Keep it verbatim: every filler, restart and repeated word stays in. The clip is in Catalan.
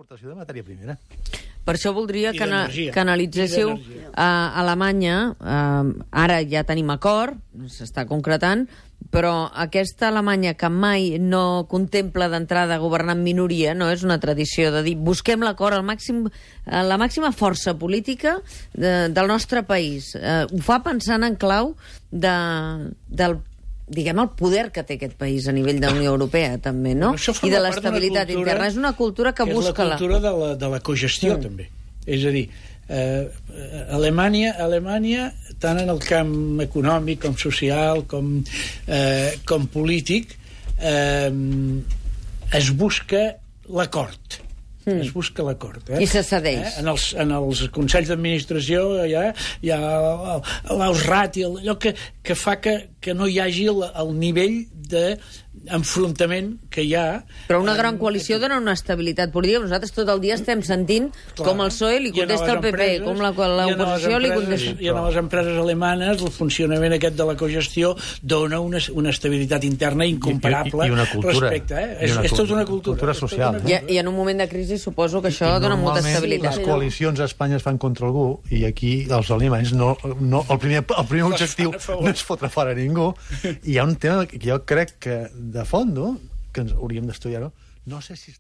d'importació de matèria primera. Per això voldria I que, ana d'energia. que analitzéssiu I d'energia. a Alemanya. Eh, ara ja tenim acord, s'està concretant, però aquesta Alemanya que mai no contempla d'entrada governar en minoria, no és una tradició de dir busquem l'acord al màxim, a la màxima força política de, del nostre país. Eh, ho fa pensant en clau de, del diguem, el poder que té aquest país a nivell de la Unió Europea, també, no? Això I forma de part d'una l'estabilitat cultura interna. És una cultura que, que busca... és la cultura de la, de la cogestió, mm. també. És a dir, eh, Alemanya, Alemanya, tant en el camp econòmic com social, com, eh, com polític, eh, es busca l'acord. Mm. Es busca l'acord. Eh? I se cedeix. Eh? En, els, en els consells d'administració hi ha, hi ha l'Ausrat, allò que, que fa que, que no hi hagi el, el nivell d'enfrontament que hi ha. Però una gran coalició dona una estabilitat política. Nosaltres tot el dia estem sentint Clar. com el P S O E li contesta al P P, com l'oposició li contesta... I a les empreses alemanes el funcionament aquest de la cogestió dona una, una estabilitat interna incomparable I, i, i una cultura, respecte. Eh? És, és, és tota una cultura. cultura social. I, I en un moment de crisi suposo que això I dona molta estabilitat. les coalicions a Espanya es fan contra algú i aquí els alemanys no, no, el, primer, el primer objectiu no és fotre fora ningú. I hi ha un tema que jo crec que de fons que ens hauríem d'estudiar-ho. No sé si